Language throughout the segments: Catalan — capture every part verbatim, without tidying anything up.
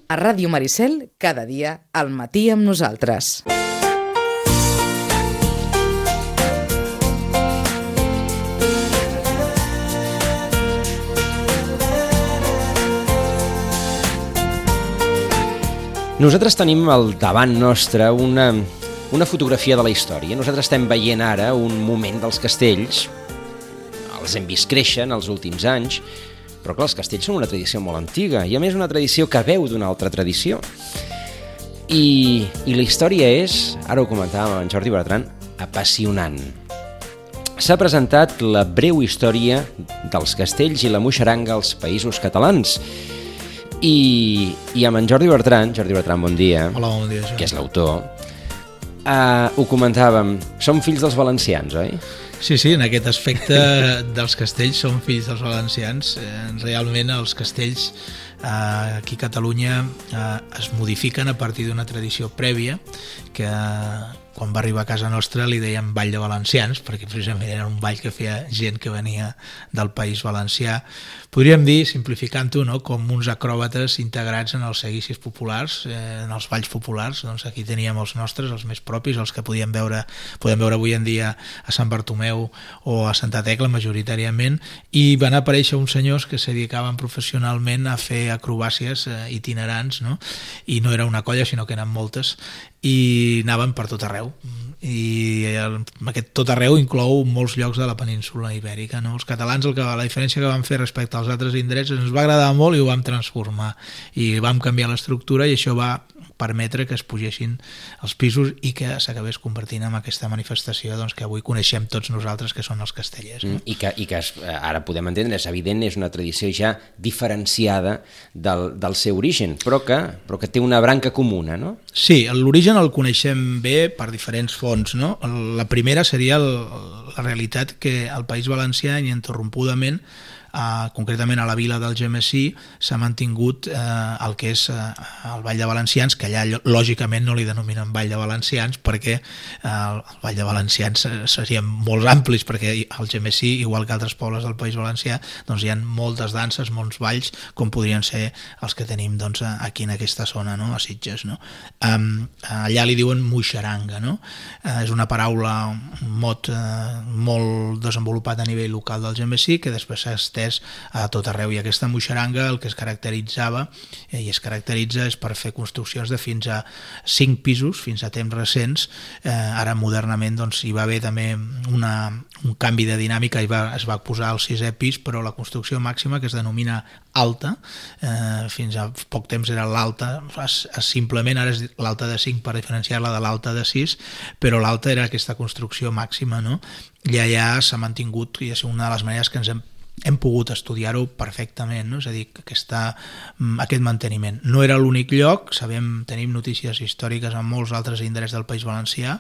A Ràdio Maricel, cada dia, al matí amb nosaltres. Nosaltres tenim al davant nostre una, una fotografia de la història. Nosaltres estem veient ara un moment dels castells. Els hem vist créixer en els últims anys, però clar, els castells són una tradició molt antiga i a més una tradició que veu d'una altra tradició. I, i la història és, ara ho comentàvem amb en Jordi Bertran, apassionant. S'ha presentat la breu història dels castells i la moixeranga als Països Catalans. I, i amb en Jordi Bertran, Jordi Bertran, bon dia, Hola, bon dia, Joan. Que és l'autor, uh, ho comentàvem, som fills dels valencians, oi? Sí, sí, en aquest aspecte dels castells som fills dels valencians. Eh, realment els castells eh, aquí a Catalunya eh, es modifiquen a partir d'una tradició prèvia que quan va arribar a casa nostra li deien ball de valencians, perquè precisament era un ball que feia gent que venia del País Valencià. Podríem dir, simplificant-ho, no?, com uns acròbates integrats en els seguicis populars, eh, en els balls populars. Doncs aquí teníem els nostres, els més propis, els que podíem veure, podem veure avui en dia a Sant Bartomeu o a Santa Tecla majoritàriament, i van aparèixer uns senyors que se dedicaven professionalment a fer acrobàcies eh, itinerants, no? I no era una colla, sinó que eren moltes, i anaven per tot arreu. I el, aquest tot arreu inclou molts llocs de la península ibèrica, no? Els catalans, el que, la diferència que vam fer respecte als altres indrets, ens va agradar molt i ho vam transformar i vam canviar l'estructura, i això va permetre que es pugessin els pisos i que s'acabés convertint en aquesta manifestació, doncs, que avui coneixem tots nosaltres, que són els castellers, no? Mm, I que, i que es, ara podem entendre, és evident, és una tradició ja diferenciada del, del seu origen, però que, però que té una branca comuna, no? Sí, l'origen el coneixem bé per diferents fonts, no? La primera seria el, la realitat que al País Valencià, ininterrompudament, Uh, concretament a la vila d'Algemesí, s'ha mantingut uh, el que és uh, el Ball de Valencians, que allà lògicament no li denominen Ball de Valencians perquè uh, el Ball de Valencians serien molt amplis, perquè al Algemesí, igual que altres pobles del País Valencià, doncs hi ha moltes danses, molts balls, com podrien ser els que tenim, doncs, aquí en aquesta zona, no?, a Sitges, no? Um, allà li diuen moixeranga, no? Uh, és una paraula, un mot uh, molt desenvolupat a nivell local d'Algemesí, que després s'ha estès a tot arreu, i aquesta moixeranga el que es caracteritzava eh, i es caracteritza és per fer construccions de fins a cinc pisos, fins a temps recents. Eh, ara modernament doncs, hi va haver també una, un canvi de dinàmica i va, es va posar al sisè pis, però la construcció màxima, que es denomina alta, eh, fins a poc temps era l'alta, simplement ara és l'alta de cinc per diferenciar-la de l'alta de sis, però l'alta era aquesta construcció màxima, no? I allà s'ha mantingut, i és una de les maneres que ens hem hem pogut estudiar-ho perfectament, no? És a dir, aquesta, aquest manteniment. No era l'únic lloc, sabem, tenim notícies històriques en molts altres indrets del País Valencià,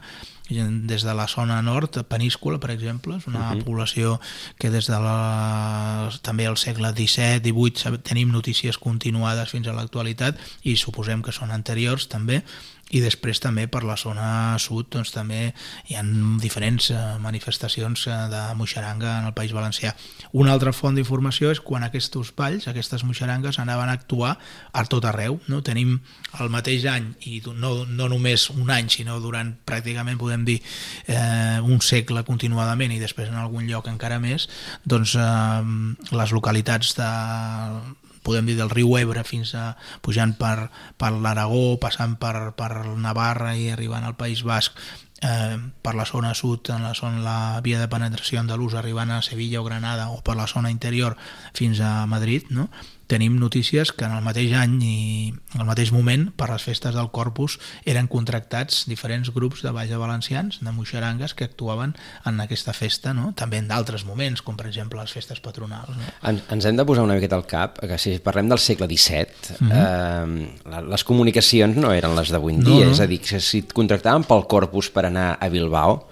des de la zona nord, Peníscola, per exemple, és una uh-huh. població que des de la, també al segle disset divuit tenim notícies continuades fins a l'actualitat, i suposem que són anteriors també. I després també per la zona sud doncs, també hi ha diferents eh, manifestacions eh, de moixeranga en el País Valencià. Una altra font d'informació és quan aquests balls, aquestes moixerangues, anaven a actuar a tot arreu, no? Tenim el mateix any, i no, no només un any, sinó durant pràcticament, podem dir, eh, un segle continuadament, i després en algun lloc encara més, doncs eh, les localitats de podem dir del riu Ebre fins a pujant per, per l'Aragó, passant per, per Navarra i arribant al País Basc, eh, per la zona sud, en la, zona, la via de penetració andalusa, arribant a Sevilla o Granada, o per la zona interior fins a Madrid, no? Tenim notícies que en el mateix any i en el mateix moment, per les festes del Corpus, eren contractats diferents grups de balls de valencians, de moixerangues, que actuaven en aquesta festa, no? També en d'altres moments, com per exemple les festes patronals, no? En, ens hem de posar una miqueta al cap que si parlem del segle disset, mm-hmm. eh, les comunicacions no eren les d'avui en dia, no, no. És a dir, que si et contractaven pel Corpus per anar a Bilbao,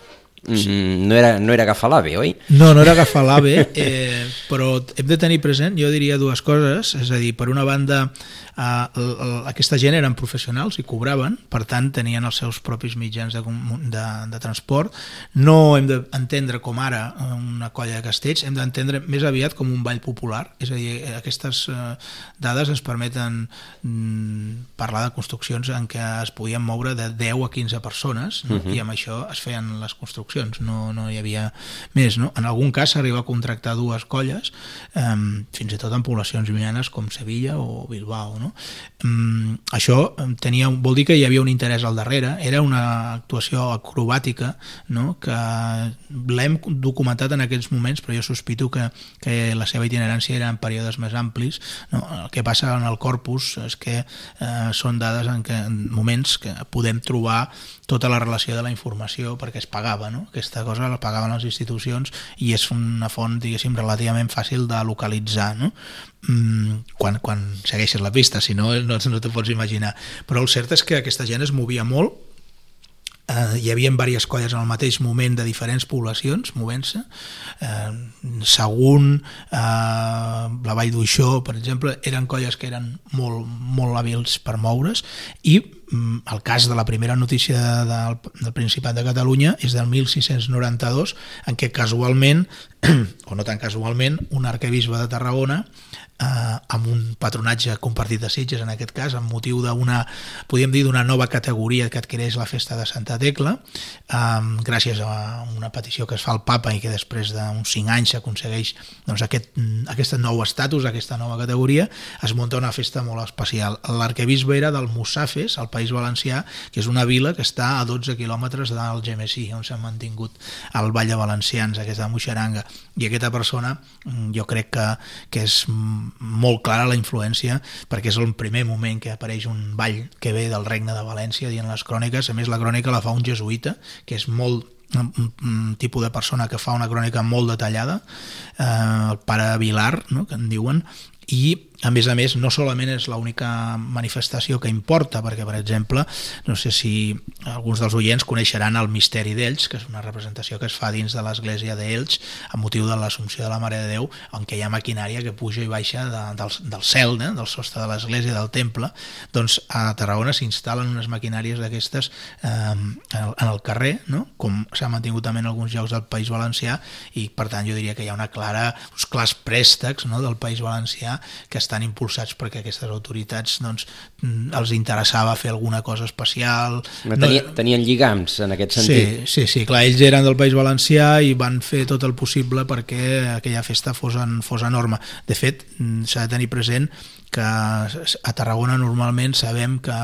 Mm, no, era, no era agafar l'AVE, oi? No, no era agafar l'AVE, eh, però hem de tenir present, jo diria dues coses, és a dir, per una banda, eh, l, l, aquesta gent eren professionals i cobraven, per tant tenien els seus propis mitjans de, de, de transport. No hem d'entendre com ara una colla de castells, hem d'entendre més aviat com un ball popular, és a dir, aquestes eh, dades ens permeten mm, parla de construccions en què es podien moure de deu a quinze persones, no? Uh-huh. I amb això es feien les construccions, no, no hi havia més, no? En algun cas s'arriba a contractar dues colles, eh, fins i tot en poblacions llunyanes com Sevilla o Bilbao, no? Um, això tenia, vol dir que hi havia un interès al darrere, era una actuació acrobàtica, no? Que l'hem documentat en aquests moments, però jo sospito que, que la seva itinerància era en períodes més amplis, no? El que passa en el corpus és que eh, són dades en, què, en moments que podem trobar tota la relació de la informació perquè es pagava, no? Aquesta cosa la pagaven les institucions i és una font, diguéssim, relativament fàcil de localitzar, no? Mm, quan, quan segueixes la pista, si no, no, no te pots imaginar. Però el cert és que aquesta gent es movia molt. Uh, hi havia diverses colles en el mateix moment de diferents poblacions movent-se. uh, Sagunt, uh, la Vall d'Uixó, per exemple, eren colles que eren molt, molt hàbils per moure's, i um, el cas de la primera notícia del, del Principat de Catalunya és del mil sis-cents noranta-dos, en què casualment, o no tan casualment, un arquebisbe de Tarragona, eh, amb un patronatge compartit de Sitges, en aquest cas, amb motiu d'una, podríem dir, d'una nova categoria que adquireix la festa de Santa Tecla, eh, gràcies a una petició que es fa al papa i que després d'uns cinc anys s'aconsegueix, doncs, aquest, aquest nou estatus, aquesta nova categoria, es munta una festa molt especial. L'arquebisbe era del Mussafes, al País Valencià, que és una vila que està a dotze quilòmetres d'Algemesí, on s'ha mantingut el Ball de Valencians, aquesta moixeranga. I aquesta persona, jo crec que, que és molt clara la influència, perquè és el primer moment que apareix un ball que ve del Regne de València, dient les cròniques. A més, la crònica la fa un jesuïta, que és molt un, un tipus de persona que fa una crònica molt detallada, eh, el pare Vilar, no?, que en diuen, i a més a més no solament és l'única manifestació que importa, perquè per exemple, no sé si alguns dels oients coneixeran el Misteri d'Elx, que és una representació que es fa dins de l'església d'Elx a motiu de l'Assumpció de la Mare de Déu, en què hi ha maquinària que puja i baixa de, del, del cel, eh, del sostre de l'església, del temple. Doncs a Tarragona s'instal·len unes maquinàries d'aquestes eh, en el carrer, no?, com s'ha mantingut també en alguns llocs del País Valencià, i per tant jo diria que hi ha una clara, uns clars préstecs, no?, del País Valencià que estan impulsats perquè aquestes autoritats, doncs, els interessava fer alguna cosa especial. Tenia, no... Tenien lligams en aquest sentit. Sí, sí, sí, clar, ells eren del País Valencià i van fer tot el possible perquè aquella festa fos, en, fos enorme. De fet, s'ha de tenir present que a Tarragona normalment sabem que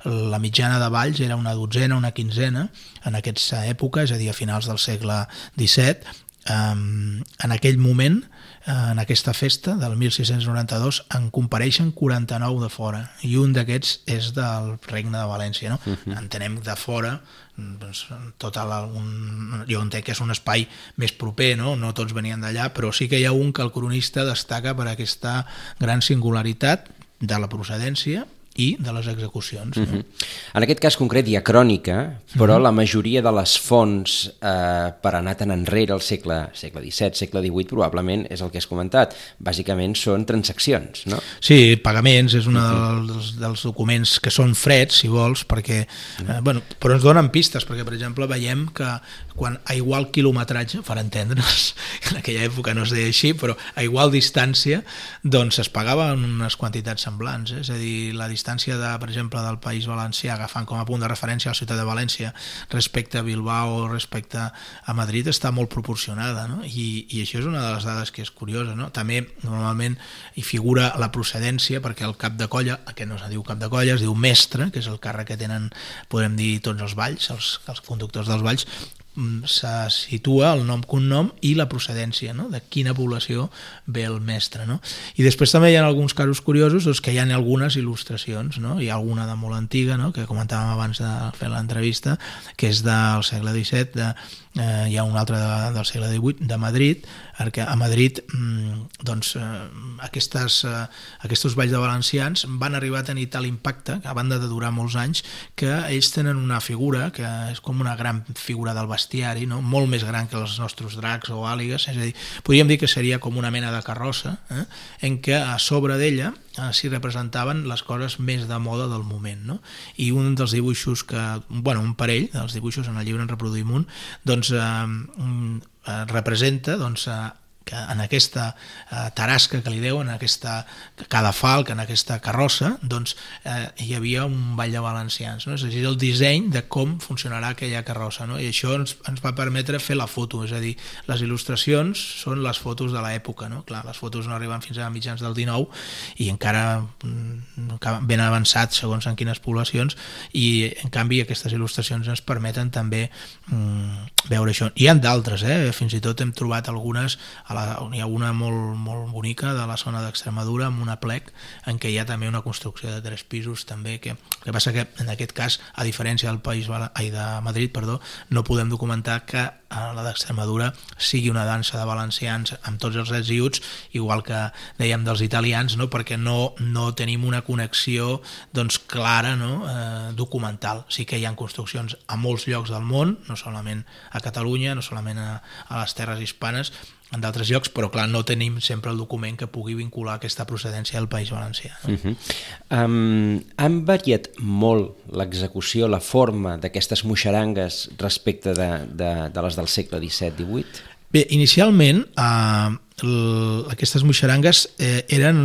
la mitjana de balls era una dotzena, una quinzena en aquesta època, és a dir, a finals del segle disset. Um, en aquell moment, en aquesta festa del mil sis-cents noranta-dos, en compareixen quaranta-nou de fora, i un d'aquests és del Regne de València, no? Uh-huh. Entenem de fora, doncs, tota la, un, jo entenc que és un espai més proper, no? No tots venien d'allà, però sí que hi ha un que el cronista destaca per aquesta gran singularitat de la procedència i de les execucions. No? Uh-huh. En aquest cas concret hi ha crònica, però uh-huh. la majoria de les fonts eh, per anar tan enrere al segle, segle disset, segle divuit, probablement és el que has comentat. Bàsicament són transaccions, no? Sí, pagaments, és un uh-huh. dels, dels documents que són freds, si vols, perquè, uh-huh. eh, bueno, però ens donen pistes, perquè, per exemple, veiem que quan a igual quilometratge, per entendre's, en aquella època no es deia així, però a igual distància, doncs es pagaven unes quantitats semblants, eh? És a dir, la distància, de, per exemple, del País Valencià, agafant com a punt de referència a la ciutat de València, respecte a Bilbao, respecte a Madrid, està molt proporcionada, no? I, i això és una de les dades que és curiosa, no? També, normalment, hi figura la procedència, perquè el cap de colla, aquest no es diu cap de colla, es diu mestre, que és el càrrec que tenen, podem dir, tots els balls, els, els conductors dels balls, se situa el nom cognom i la procedència, no?, de quina població ve el mestre, no? I després també hi ha alguns casos curiosos, doncs, que hi ha algunes il·lustracions, no? Hi ha alguna de molt antiga, no?, que comentàvem abans de fer l'entrevista, que és del segle disset, de, eh, hi ha una altra de, del segle divuit, de Madrid, perquè a Madrid doncs, eh, aquestes, eh, aquests balls de valencians van arribar a tenir tal impacte, a banda de durar molts anys, que ells tenen una figura que és com una gran figura del bestiari, no?, molt més gran que els nostres dracs o àligues, és a dir, podríem dir que seria com una mena de carrossa, eh, en què a sobre d'ella eh, s'hi representaven les coses més de moda del moment, no? I un dels dibuixos que, bueno, un parell dels dibuixos en el llibre en reproduïm un, doncs eh, representa, doncs, que en aquesta eh, tarasca que li deuen, en aquesta cadafalc, en aquesta carrossa, doncs eh, hi havia un ball de valencians, no? És a dir, el disseny de com funcionarà aquella carrossa, no? I això ens, ens va permetre fer la foto, és a dir, les il·lustracions són les fotos de l'època, no? Clar, les fotos no arriben fins a mitjans del dinou i encara ben avançat segons en quines poblacions, i en canvi aquestes il·lustracions ens permeten també mm, veure això. Hi ha d'altres, eh? Fins i tot hem trobat algunes, a la, hi ha una molt, molt bonica de la zona d'Extremadura amb una plec en què hi ha també una construcció de tres pisos també, que, que passa que en aquest cas, a diferència del País ai, de Madrid, perdó, no podem documentar que a la d'Extremadura sigui una dansa de valencians amb tots els drets i uts, igual que dèiem dels italians, no? Perquè no, no tenim una connexió doncs, clara, no? eh, documental. Sí que hi ha construccions a molts llocs del món, no solament a Catalunya, no solament a, a les terres hispanes, en d'altres llocs, però clar, no tenim sempre el document que pugui vincular aquesta procedència del País Valencià. No? Uh-huh. um, han variat molt l'execució, la forma d'aquestes moixarangues respecte de, de, de les del segle disset divuit? Bé, inicialment eh, l, aquestes moixarangues eh, eren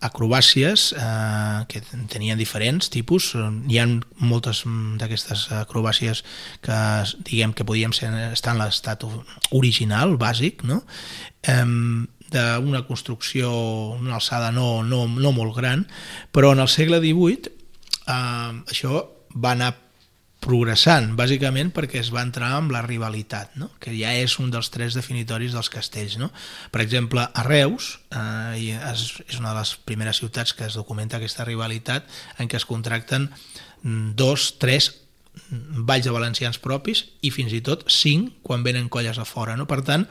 acrobàcies eh, que tenien diferents tipus. Hi ha moltes d'aquestes acrobàcies que diguem que podíem ser, estar en l'estat original, bàsic, no? Eh, d'una construcció, una alçada no, no, no molt gran, però en el segle divuit eh, això va anar progressant, bàsicament perquè es va entrar amb la rivalitat, no? Que ja és un dels tres definitoris dels castells. No? Per exemple, a Reus, eh, és, és una de les primeres ciutats que es documenta aquesta rivalitat, en què es contracten dos, tres balls de valencians propis i fins i tot cinc quan venen colles a fora. No? Per tant,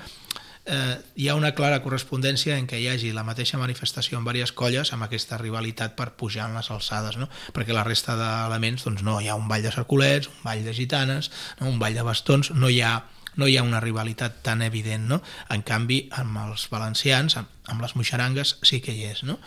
eh, hi ha una clara correspondència en què hi hagi la mateixa manifestació en diverses colles amb aquesta rivalitat per pujar en les alçades, no? Perquè la resta d'elements, doncs no, hi ha un ball de cercolets, un ball de gitanes, no? Un ball de bastons, no hi ha no hi ha una rivalitat tan evident, no? En canvi, amb els valencians, amb, amb les moixarangues, sí que hi és, no?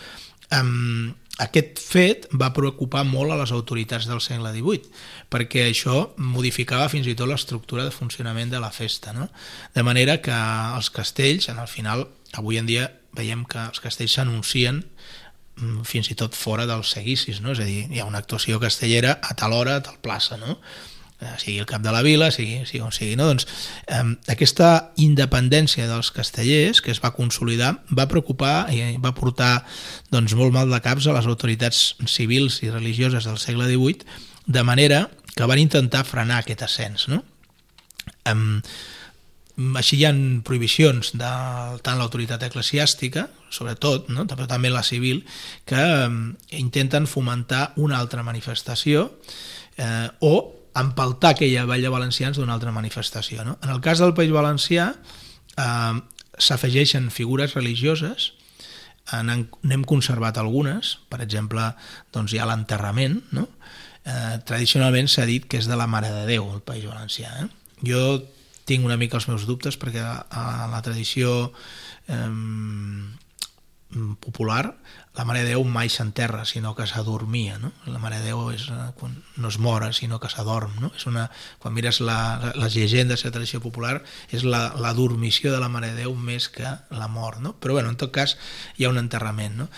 Um, aquest fet va preocupar molt a les autoritats del segle divuit, perquè això modificava fins i tot l'estructura de funcionament de la festa, no? De manera que els castells, en el final, avui en dia veiem que els castells s'anuncien fins i tot fora dels seguicis, no? És a dir, hi ha una actuació castellera a tal hora, a tal plaça, no? Sigui el cap de la vila, sigui, sigui on sigui, no? Doncs eh, aquesta independència dels castellers que es va consolidar va preocupar i va portar doncs, molt mal de caps a les autoritats civils i religioses del segle divuit, de manera que van intentar frenar aquest ascens, no? Eh, així hi ha prohibicions de tant l'autoritat eclesiàstica, sobretot, no? Però també la civil, que eh, intenten fomentar una altra manifestació eh, o empaltar aquella ball de valencians d'una altra manifestació. No? En el cas del País Valencià eh, s'afegeixen figures religioses, n'hem conservat algunes, per exemple, doncs hi ha l'enterrament, no? eh, tradicionalment s'ha dit que és de la Mare de Déu el País Valencià. Eh? Jo tinc una mica els meus dubtes perquè a la tradició eh, popular la Mare de Déu mai s'enterra, sinó que s'adormia, no? La Mare de Déu és, quan no es mora, sinó que s'adorm, no? És una, quan mires la, les llegendes de la tradició popular, és la, la dormició de la Mare de Déu més que la mort, no? Però, bueno, en tot cas, hi ha un enterrament, no?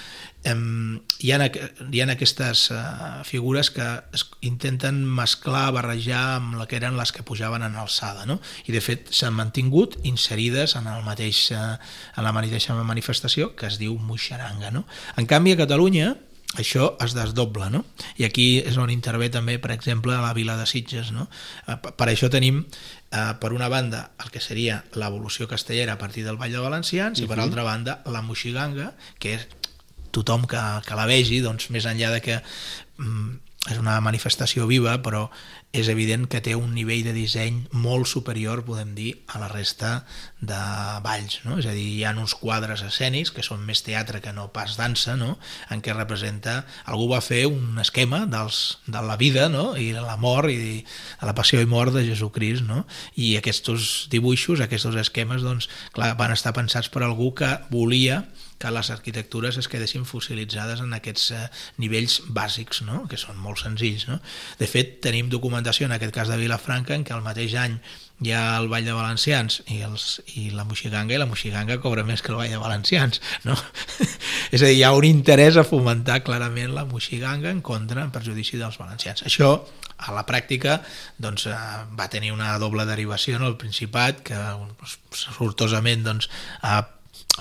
Um, hi, ha, hi ha aquestes uh, figures que es intenten mesclar, barrejar amb la que eren les que pujaven en alçada, no? I de fet s'han mantingut inserides en, el mateix, uh, en la mateixa manifestació que es diu moixaranga, no? En canvi a Catalunya això es desdobla, no? I aquí és on intervé també, per exemple, la vila de Sitges, no? Uh, per això tenim uh, per una banda el que seria l'evolució castellera a partir del Ball de Valencians uh-huh. i per altra banda la moixiganga, que és tothom que, que la vegi, doncs, més enllà de que mm, és una manifestació viva, però és evident que té un nivell de disseny molt superior, podem dir, a la resta de balls, no? És a dir, hi ha uns quadres escènics que són més teatre que no pas dansa, no? En què representa, algú va fer un esquema dels, de la vida, no? I la mort i de la passió i mort de Jesucrist, no? I aquests dibuixos, aquests esquemes, doncs, clar, van estar pensats per algú que volia que les arquitectures es quedessin fossilitzades en aquests eh, nivells bàsics, no? Que són molt senzills, no? De fet, tenim documentat documentació, en aquest cas de Vilafranca, en què el mateix any hi ha el Ball de Valencians i, els, i la Moixiganga, i la Moixiganga cobra més que el Ball de Valencians, no? És a dir, hi ha un interès a fomentar clarament la Moixiganga en contra, en perjudici dels valencians. Això, a la pràctica, doncs, va tenir una doble derivació en el Principat, que sortosament doncs, ha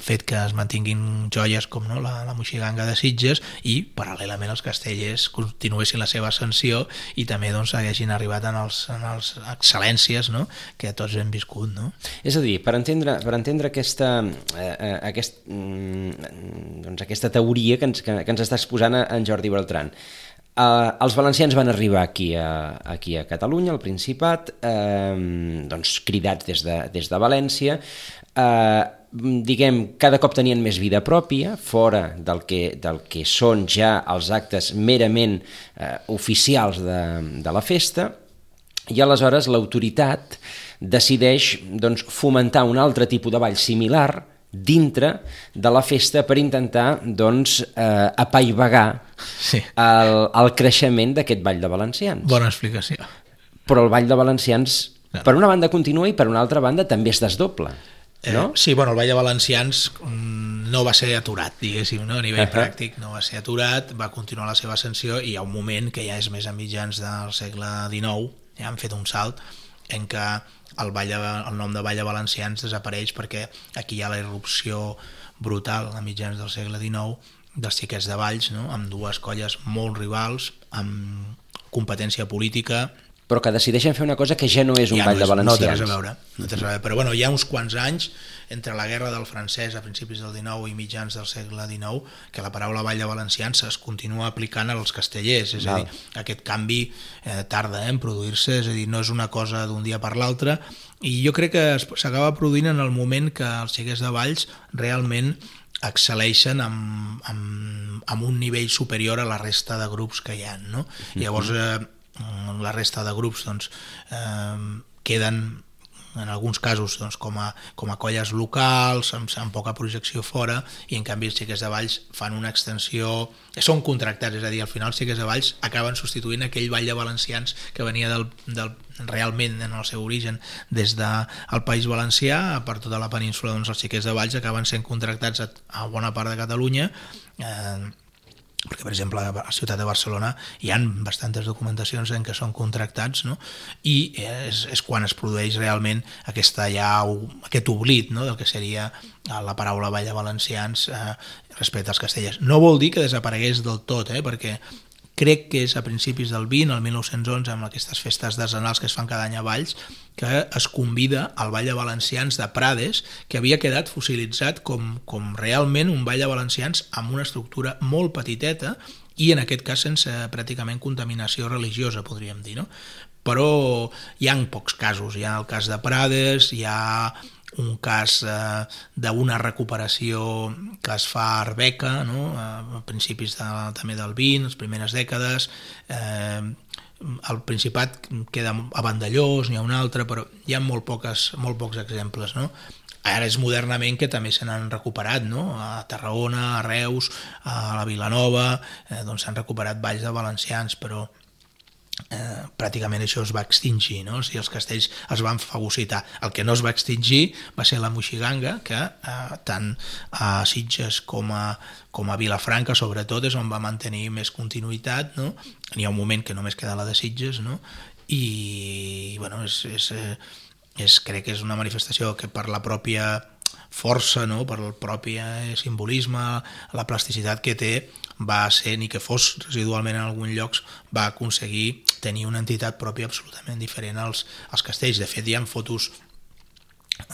fet que es mantinguin joies com no, la, la Moixiganga de Sitges, i paral·lelament els castellers continuessin la seva ascensió i també doncs, haguessin arribat en els, en els excel·lències, no, que tots hem viscut. No? És a dir, per entendre, per entendre aquesta, eh, aquest, doncs, aquesta teoria que ens, que, que ens està exposant en Jordi Beltran, eh, els valencians van arribar aquí a, aquí a Catalunya, al Principat, eh, doncs, cridats des de, des de València, eh, diguem, cada cop tenien més vida pròpia, fora del que, del que són ja els actes merament eh, oficials de, de la festa, i aleshores l'autoritat decideix doncs, fomentar un altre tipus de ball similar dintre de la festa per intentar doncs, eh, apaivagar sí. el, el creixement d'aquest ball de valencians. Bona explicació. Però el ball de valencians, no. per una banda continua i per una altra banda també es desdobla. No? Eh, sí, bueno, el Ball de Valencians no va ser aturat, diguéssim, no? A nivell uh-huh. pràctic no va ser aturat, va continuar la seva ascensió i hi ha un moment que ja és més a mitjans del segle dinou, ja han fet un salt en què el, ball de, el nom de Ball de Valencians desapareix perquè aquí hi ha la irrupció brutal a mitjans del segle dinou dels xiquets de Valls, no? Amb dues colles molt rivals, amb competència política, però que decideixen fer una cosa que ja no és un ja ball no és, de valencians. No té res a veure, no té res a veure. Però bueno, hi ha uns quants anys, entre la guerra del francès a principis del dinou i mitjans del segle dinou, que la paraula ball de valencians es continua aplicant als castellers, és Val. a dir, aquest canvi eh, tarda eh, en produir-se, és a dir, no és una cosa d'un dia per l'altre, i jo crec que s'acaba produint en el moment que els xiquets de Valls realment excel·leixen amb, amb, amb un nivell superior a la resta de grups que hi ha, no? Mm-hmm. Llavors, eh, la resta de grups doncs, eh, queden en alguns casos doncs, com, a, com a colles locals amb, amb poca projecció fora, i en canvi els xiquets de Valls fan una extensió, són contractats, és a dir, al final els xiquets de Valls acaben substituint aquell ball de valencians que venia del, del, realment en el seu origen des del País Valencià, per tota la península doncs, els xiquets de Valls acaben sent contractats a, a bona part de Catalunya, eh, perquè per exemple a la ciutat de Barcelona hi ha bastantes documentacions en què són contractats, no? I és, és quan es produeix realment aquesta, ja, aquest oblit, no? Del que seria la paraula ball de valencians eh, respecte als castellers. No vol dir que desaparegués del tot, eh? Perquè crec que és a principis del vint, el mil nou-cents onze, amb aquestes festes decenals que es fan cada any a Valls, que es convida al Ball de Valencians de Prades, que havia quedat fossilitzat com, com realment un ball de valencians amb una estructura molt petiteta i en aquest cas sense pràcticament contaminació religiosa, podríem dir, no? Però hi ha pocs casos, hi ha el cas de Prades, hi ha un cas eh, d'una recuperació que es fa a Arbeca, no? A principis de, també del vint, les primeres dècades, eh, al Principat queda a Vandellós, n'hi ha un altre, però hi ha molt, poques, molt pocs exemples, no? Ara és modernament que també se n'han recuperat, no? A Tarragona, a Reus, a la Vilanova, eh, doncs s'han recuperat balls de valencians, però Eh, pràcticament això es va extingir, no? O sigui, els castells es van fagocitar. El que no es va extingir va ser la Moixiganga, que eh, tant a Sitges com a, com a Vilafranca sobretot és on va mantenir més continuïtat, no? N'hi ha un moment que només queda la de Sitges, no? I bueno, és, és, és, crec que és una manifestació que per la pròpia força, no? Per el propi simbolisme, la plasticitat que té, va ser, ni que fos residualment en alguns llocs, va aconseguir tenir una entitat pròpia absolutament diferent als, als castells. De fet, hi ha fotos,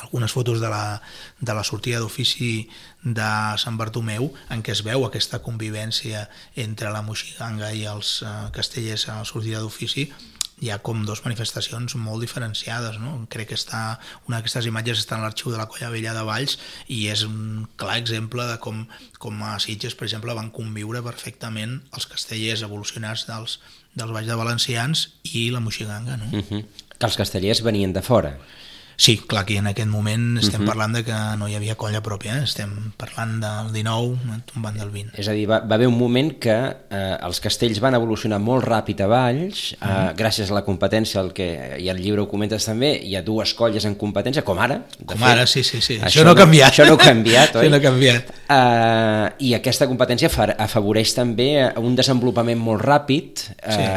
algunes fotos de la, de la sortida d'ofici de Sant Bartomeu en què es veu aquesta convivència entre la Moixiganga i els eh, castellers a la sortida d'ofici. Hi ha com dues manifestacions molt diferenciades, no? Crec que està, una d'aquestes imatges està en l'arxiu de la Colla Vella de Valls i és un clar exemple de com, com a Sitges, per exemple, van conviure perfectament els castellers evolucionats dels, dels balls de valencians i la Moixiganga, no? Uh-huh. Que els castellers venien de fora. Sí, clar, que en aquest moment estem uh-huh. parlant de que no hi havia colla pròpia, eh? Estem parlant del dinou, tombant del vint. És a dir, va, va haver un moment que eh, els castells van evolucionar molt ràpid a Valls, eh, uh-huh. gràcies a la competència, el que, i al llibre ho comentes també, hi ha dues colles en competència, com ara. Com fet, ara, sí, sí, sí. Això, això no ha canviat. Això no ha canviat, oi? Això no ha canviat. Uh, I aquesta competència afavoreix també un desenvolupament molt ràpid, uh, sí.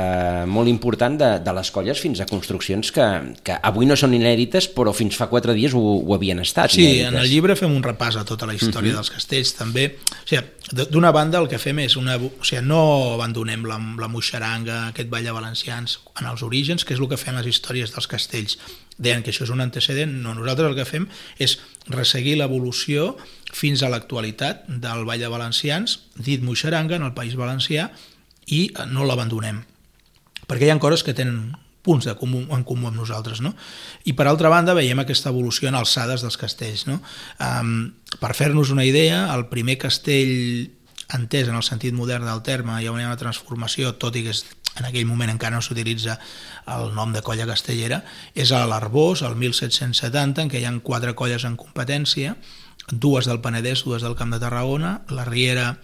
molt important de, de les colles fins a construccions que, que avui no són inèdites, però fins fa quatre dies ho, ho havien estat. Sí, inèdites. En el llibre fem un repàs a tota la història uh-huh. dels castells, també. O sigui, d'una banda el que fem és una... O sigui, no abandonem la, la moixaranga, aquest ball de valencians en els orígens, que és el que fem les històries dels castells. Deien que això és un antecedent. No, nosaltres el que fem és resseguir l'evolució fins a l'actualitat del ball de valencians, dit moixaranga, en el País Valencià, i no l'abandonem. Perquè hi ha coses que tenen punts de comú, en comú amb nosaltres, no? I per altra banda veiem aquesta evolució en alçades dels castells, no? Um, per fer-nos una idea, el primer castell entès en el sentit modern del terme, hi ha una transformació, tot i que és, en aquell moment encara no s'utilitza el nom de colla castellera, és a l'Arbós, el mil set-cents setanta, en què hi ha quatre colles en competència, dues del Penedès, dues del Camp de Tarragona, la Riera,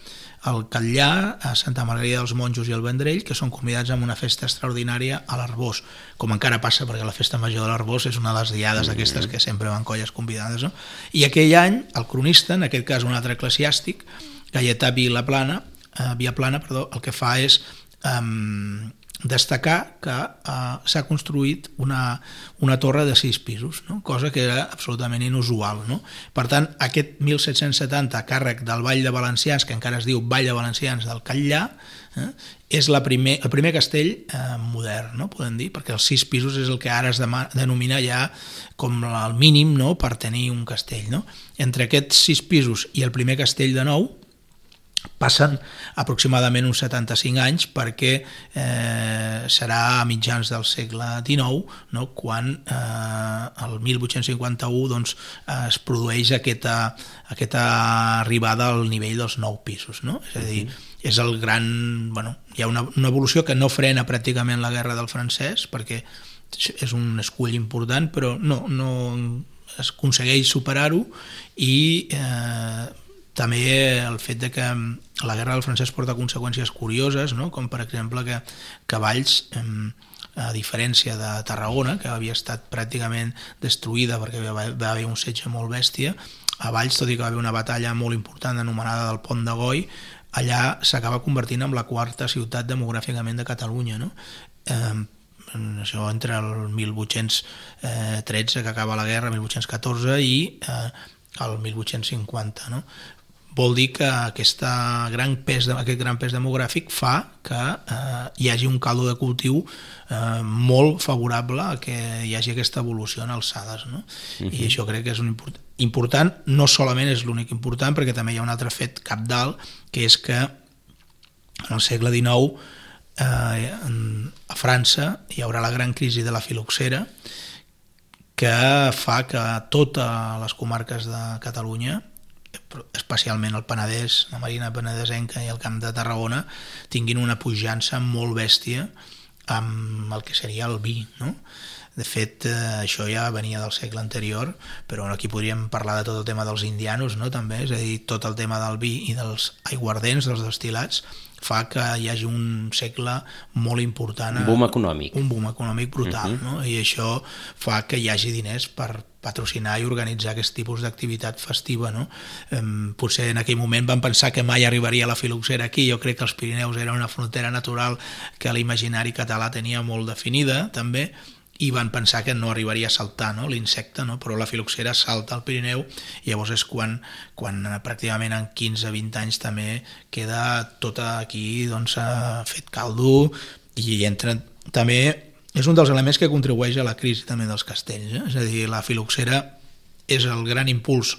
el Catllà, a Santa Margarida dels Monjos i el Vendrell, que són convidats amb una festa extraordinària a l'Arbós, com encara passa perquè la festa major de l'Arbós és una de les diades mm-hmm. aquestes que sempre van colles convidades, no? I aquell any el cronista, en aquest cas un altre eclesiàstic, Gaietà Vilaplana, eh, Viaplana, perdó, el que fa és eh, destacar que eh, s'ha construït una, una torre de sis pisos, no? Cosa que era absolutament inusual, no? Per tant, aquest mil set-cents setanta a càrrec del Ball de Valencians, que encara es diu Ball de Valencians del Catllà, eh, és la primer, el primer castell eh, modern, no? Podem dir, perquè els sis pisos és el que ara es denomina ja com el mínim, no? Per tenir un castell, no? Entre aquests sis pisos i el primer castell de nou passen aproximadament uns setanta-cinc anys, perquè eh, serà a mitjans del segle dinou, no? Quan eh, el mil vuit-cents cinquanta-u doncs, es produeix aquesta, aquesta arribada al nivell dels nou pisos, no? És a dir, és el gran... Bueno, hi ha una, una evolució que no frena pràcticament la guerra del francès, perquè és un escull important, però no, no es aconsegueix superar-ho, i eh, també el fet de que la guerra del francès porta conseqüències curioses, no? Com per exemple que, que Valls, a diferència de Tarragona, que havia estat pràcticament destruïda perquè va haver un setge molt bèstia, a Valls, tot i que va haver una batalla molt important anomenada del Pont de Goi, allà s'acaba convertint en la quarta ciutat demogràficament de Catalunya, no? Eh, això entre el mil vuit-cents tretze, que acaba la guerra, mil vuit-cents catorze, i eh, el mil vuit-cents cinquanta, no? Vol dir que aquesta gran pes, aquest gran pes demogràfic fa que eh, hi hagi un caldo de cultiu eh, molt favorable a que hi hagi aquesta evolució en alçades, no? Uh-huh. I això crec que és un import, important, no solament és l'únic important, perquè també hi ha un altre fet cabdal, que és que en el segle dinou eh, a França hi haurà la gran crisi de la filoxera, que fa que totes les comarques de Catalunya, especialment el Penedès, la Marina Penedesenca i el Camp de Tarragona, tinguin una pujança molt bèstia amb el que seria el vi, no? De fet, eh, això ja venia del segle anterior, però aquí podríem parlar de tot el tema dels indianos, no? També, és a dir, tot el tema del vi i dels aiguardents, dels destil·lats, fa que hi hagi un segle molt important. Un boom econòmic. Un boom econòmic brutal, uh-huh. no? I això fa que hi hagi diners per patrocinar i organitzar aquest tipus d'activitat festiva, no? Eh, potser en aquell moment van pensar que mai arribaria la filoxera aquí. Jo crec que els Pirineus era una frontera natural que l'imaginari català tenia molt definida, també, i van pensar que no arribaria a saltar, no? L'insecte, no? Però la filoxera salta al Pirineu, i llavors és quan, quan pràcticament en quinze a vint anys també queda tot aquí doncs, fet caldo, i entra també... És un dels elements que contribueix a la crisi també dels castells, eh? És a dir, la filoxera és el gran impuls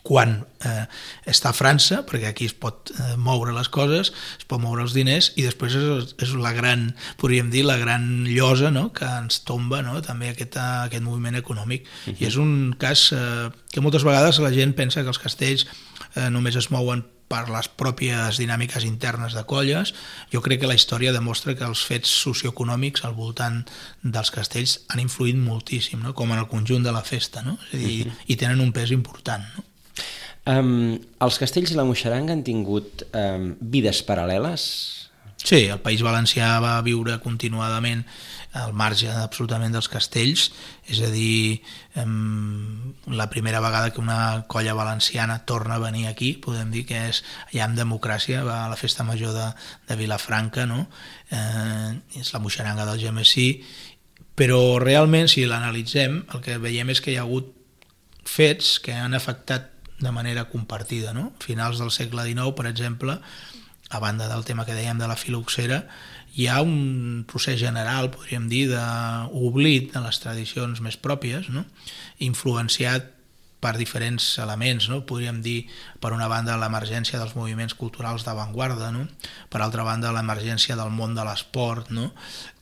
quan eh, està a França, perquè aquí es pot eh, moure les coses, es pot moure els diners, i després és, és la gran, podríem dir, la gran llosa, no?, que ens tomba, no?, també aquest, aquest moviment econòmic. Uh-huh. I és un cas eh, que moltes vegades la gent pensa que els castells eh, només es mouen per les pròpies dinàmiques internes de colles. Jo crec que la història demostra que els fets socioeconòmics al voltant dels castells han influït moltíssim, no? Com en el conjunt de la festa, no? És a dir, uh-huh. i tenen un pes important, no? Um, els castells i la moixaranga han tingut um, vides paral·leles? Sí, el País Valencià va viure continuadament al marge absolutament dels castells, és a dir, um, la primera vegada que una colla valenciana torna a venir aquí, podem dir que és ja amb democràcia, va a la festa major de, de Vilafranca, no? Eh, és la moixaranga del Gemesí, però realment, si l'analitzem, el que veiem és que hi ha hagut fets que han afectat de manera compartida, no? Finals del segle dinou, per exemple, a banda del tema que dèiem de la filoxera, hi ha un procés general, podríem dir, d'oblit de les tradicions més pròpies, no? Influenciat per diferents elements, no? Podríem dir, per una banda, l'emergència dels moviments culturals d'avantguarda, no? Per altra banda, l'emergència del món de l'esport, no?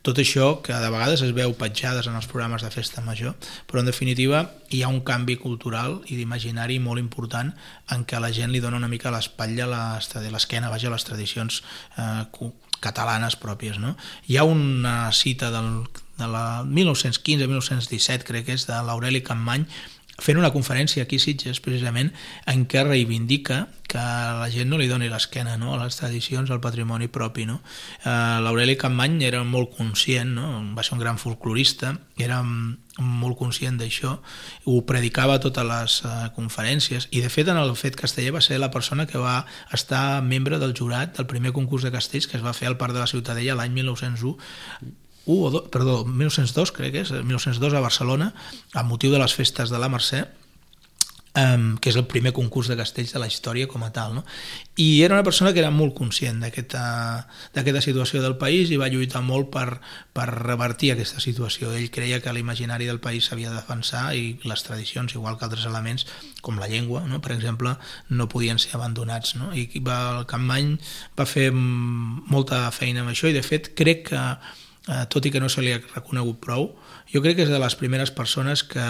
Tot això que de vegades es veu petjades en els programes de festa major, però en definitiva hi ha un canvi cultural i d'imaginari molt important en què la gent li dona una mica l'espatlla, l'esquena, vaja, a les tradicions eh, catalanes pròpies, no? Hi ha una cita del, de la mil nou-cents quinze mil nou-cents disset, crec que és, de l'Aureli Campmany, fent una conferència aquí a Sitges, precisament, en què reivindica que la gent no li doni l'esquena, no? A les tradicions, al patrimoni propi, no? Eh, L'Aureli Campmany era molt conscient, no? Va ser un gran folclorista, era molt conscient d'això, ho predicava a totes les eh, conferències, i de fet en el Fet Casteller va ser la persona que va estar membre del jurat del primer concurs de castells que es va fer al Parc de la Ciutadella l'any mil nou-cents u, Uh, o do, perdó, mil nou-cents dos, crec que és, mil nou-cents dos a Barcelona, amb motiu de les festes de la Mercè, um, que és el primer concurs de castells de la història com a tal, no? I era una persona que era molt conscient d'aquesta situació del país i va lluitar molt per, per revertir aquesta situació. Ell creia que l'imaginari del país s'havia de defensar i les tradicions, igual que altres elements, com la llengua, no? Per exemple, no podien ser abandonats, no? I va, el Campmany va fer molta feina amb això i, de fet, crec que Uh, tot i que no se li ha reconegut prou, jo crec que és de les primeres persones que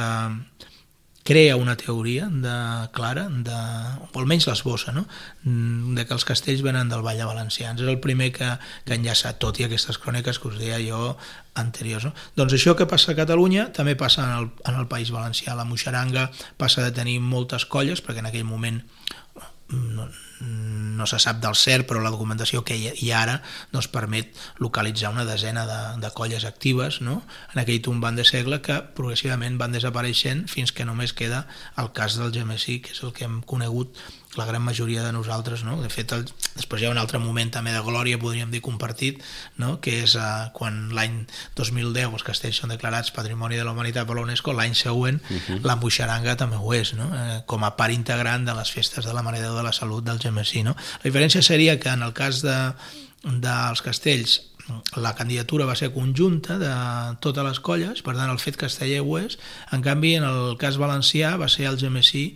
crea una teoria de, clara, de, o almenys l'esbossa, no? De que els castells venen del Vall de Valencians. És el primer que, que enllaça, tot i aquestes cròniques que us deia jo anteriors. No? Doncs això que passa a Catalunya també passa en el, en el País Valencià. La moixaranga passa de tenir moltes colles, perquè en aquell moment no, no se sap del cert, però la documentació que hi ha ara no es permet localitzar una desena de, de colles actives, no? En aquell tombant de segle, que progressivament van desapareixent fins que només queda el cas del Gemesí, que és el que hem conegut la gran majoria de nosaltres, no? De fet, el, després hi ha un altre moment també de glòria, podríem dir, compartit, no? Que és uh, quan l'any dos mil deu els castells són declarats Patrimoni de la Humanitat per la UNESCO, l'any següent uh-huh. la moixaranga també ho és, no? Eh, com a part integrant de les festes de la Mare de Déu de la Salut del Gemesí, no? La diferència seria que en el cas de, dels castells la candidatura va ser conjunta de totes les colles, per tant el Fet Casteller ho és. En canvi, en el cas valencià va ser el Gemesí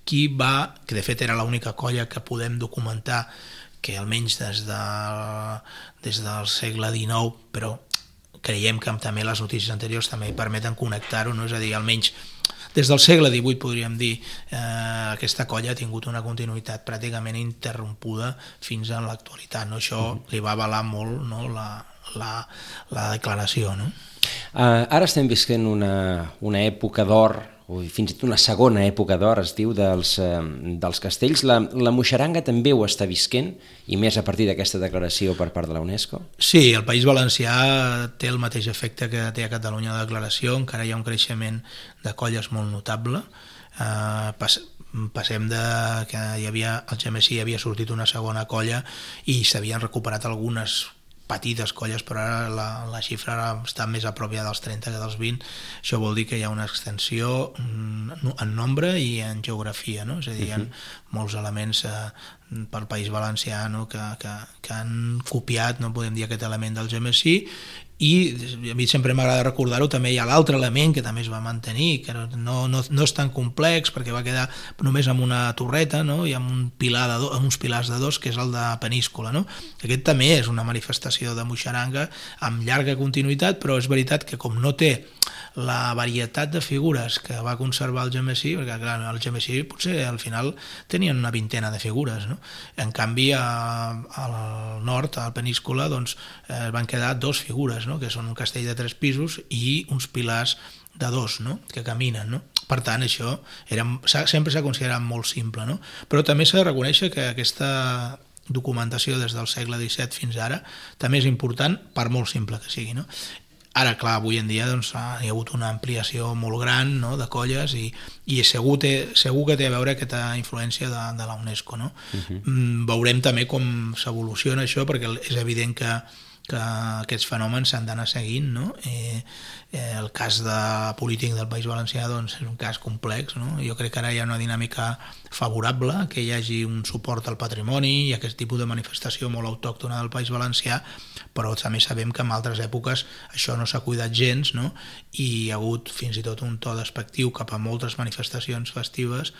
qui va, que de fet era l'única colla que podem documentar que almenys des, de, des del segle dinou, però creiem que també les notícies anteriors també permeten connectar-ho, no? És a dir, almenys des del segle divuit, podríem dir, eh, aquesta colla ha tingut una continuïtat pràcticament interrompuda fins a l'actualitat. No? Això li va avalar molt, no? la, la, la declaració. No? Uh, ara estem visquent una, una època d'or, o fins i tot una segona època d'or, es diu, dels, uh, dels castells. La, la moixaranga també ho està visquent, i més a partir d'aquesta declaració per part de la UNESCO? Sí, el País Valencià té el mateix efecte que té a Catalunya la declaració, encara hi ha un creixement de colles molt notable. Uh, pas, passem de que hi havia, el Gemesí havia sortit una segona colla i s'havien recuperat algunes petites colles, però ara la, la xifra està més a prop ja dels trenta que dels vint. Això vol dir que hi ha una extensió en nombre i en geografia, no? És a dir, hi ha molts elements eh, pel País Valencià, no? que, que, que han copiat, no podem dir, aquest element del Gemesí. I a mi sempre m'agrada recordar-ho, també hi ha l'altre element que també es va mantenir, que no, no, no és tan complex perquè va quedar només amb una torreta, no? I amb un pilar de do, amb uns pilars de dos, que és el de Peníscola. No? Aquest també és una manifestació de moixaranga amb llarga continuïtat, però és veritat que com no té la varietat de figures que va conservar el Gemesí, perquè clar, el Gemesí potser al final tenien una vintena de figures, no? En canvi a, al nord, a la península, doncs, eh, van quedar dos figures, no? Que són un castell de tres pisos i uns pilars de dos, no? Que caminen, no? Per tant, això era, sempre s'ha considerat molt simple, no? Però també s'ha de reconèixer que aquesta documentació des del segle disset fins ara també és important, per molt simple que sigui, no? Ara, clar, avui en dia doncs, hi ha hagut una ampliació molt gran, no?, de colles i, i segur, té, segur que té a veure aquesta influència de, de la UNESCO, no? Uh-huh. Mm, veurem també com s'evoluciona això, perquè és evident que, que aquests fenòmens s'han d'anar seguint, no? Eh, eh, el cas de polític del País Valencià doncs, és un cas complex, no? Jo crec que ara hi ha una dinàmica favorable, que hi hagi un suport al patrimoni i aquest tipus de manifestació molt autòctona del País Valencià, però també sabem que en altres èpoques això no s'ha cuidat gens, no? I hi ha hagut fins i tot un to despectiu cap a moltes manifestacions festives,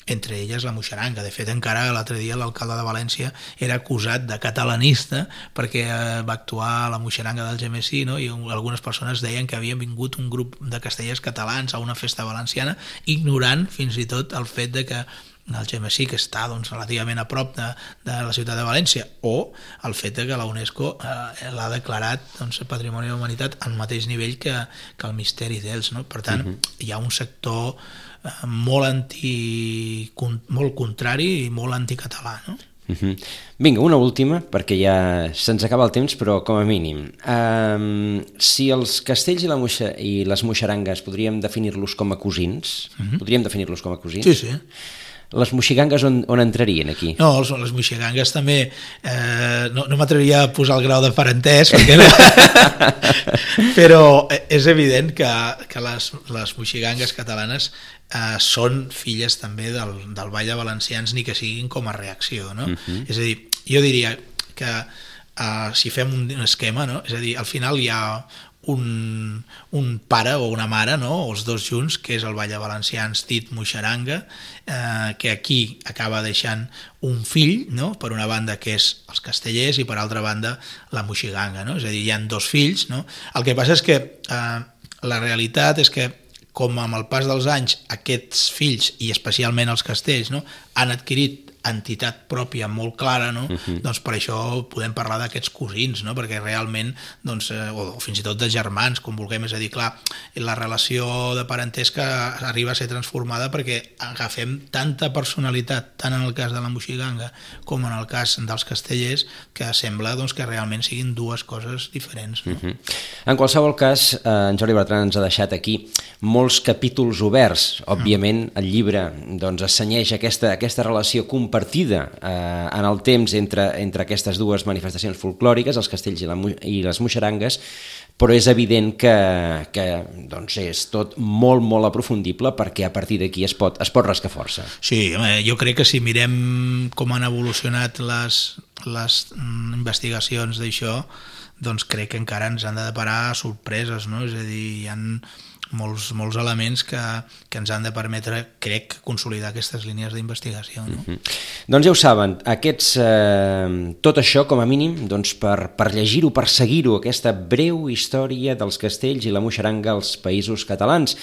entre elles la moixeranga. De fet, encara l'altre dia l'alcalde de València era acusat de catalanista perquè va actuar a la moixeranga del Gemesí, no? I algunes persones deien que havien vingut un grup de castellers catalans a una festa valenciana, ignorant fins i tot el fet de que el Gemesí, que està doncs, relativament a prop de, de la ciutat de València, o el fet de que la UNESCO eh, l'ha declarat doncs, Patrimoni de la Humanitat al mateix nivell que, que el misteri d'ells, no? Per tant, uh-huh. hi ha un sector eh, molt anti, molt contrari i molt anticatalà, no? Uh-huh. Vinga, una última, perquè ja se'ns acaba el temps, però com a mínim. Um, si els castells i, la moixa, i les moixerangues podríem definir-los com a cosins, uh-huh. podríem definir-los com a cosins? Sí, sí. Les moixigangues on, on entrarien aquí? No, les, les moixigangues també eh, no, no m'atreviria a posar el grau de parentès perquè no. Però és evident que, que les, les moixigangues catalanes eh, són filles també del, del Ball de Valencians, ni que siguin com a reacció, no? Uh-huh. És a dir, jo diria que eh, si fem un, un esquema, no? És a dir, al final hi ha un, un pare o una mare, no? O els dos junts, que és el Ball de Valencians dit moixeranga, eh, que aquí acaba deixant un fill, no? Per una banda que és els castellers i per altra banda la moixiganga, no? És a dir, hi ha dos fills, no? El que passa és que eh, la realitat és que com amb el pas dels anys aquests fills, i especialment els castells, no? Han adquirit entitat pròpia molt clara, no? Uh-huh. Doncs per això podem parlar d'aquests cosins, no? Perquè realment, doncs, eh, o, o fins i tot de germans, com vulguem, és a dir, clar, la relació de parentesca arriba a ser transformada perquè agafem tanta personalitat, tant en el cas de la moixiganga com en el cas dels castellers, que sembla doncs, que realment siguin dues coses diferents, no? Uh-huh. En qualsevol cas, eh, en Jordi Bertran ens ha deixat aquí molts capítols oberts. Òbviament, el llibre doncs, assenyeix aquesta, aquesta relació compartida eh, en el temps entre, entre aquestes dues manifestacions folclòriques, els castells i, la, i les moixerangues, però és evident que, que doncs és tot molt, molt aprofundible perquè a partir d'aquí es pot, es pot rascar força. Sí, jo crec que si mirem com han evolucionat les, les investigacions d'això, doncs crec que encara ens han de deparar sorpreses, no? És a dir, hi ha molts, molts elements que, que ens han de permetre, crec, consolidar aquestes línies d'investigació, no? Mm-hmm. Doncs ja ho saben, aquests, eh, tot això com a mínim doncs per, per llegir-ho, per seguir-ho, aquesta breu història dels castells i la moixeranga als Països Catalans,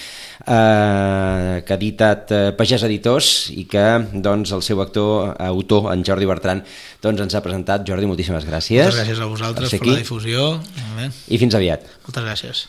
eh, que ha editat eh, Pagès Editors i que doncs, el seu actor, autor, en Jordi Bertran, doncs, ens ha presentat. Jordi, moltíssimes gràcies. Moltes gràcies a vosaltres per, per la difusió. I fins aviat. Moltes gràcies.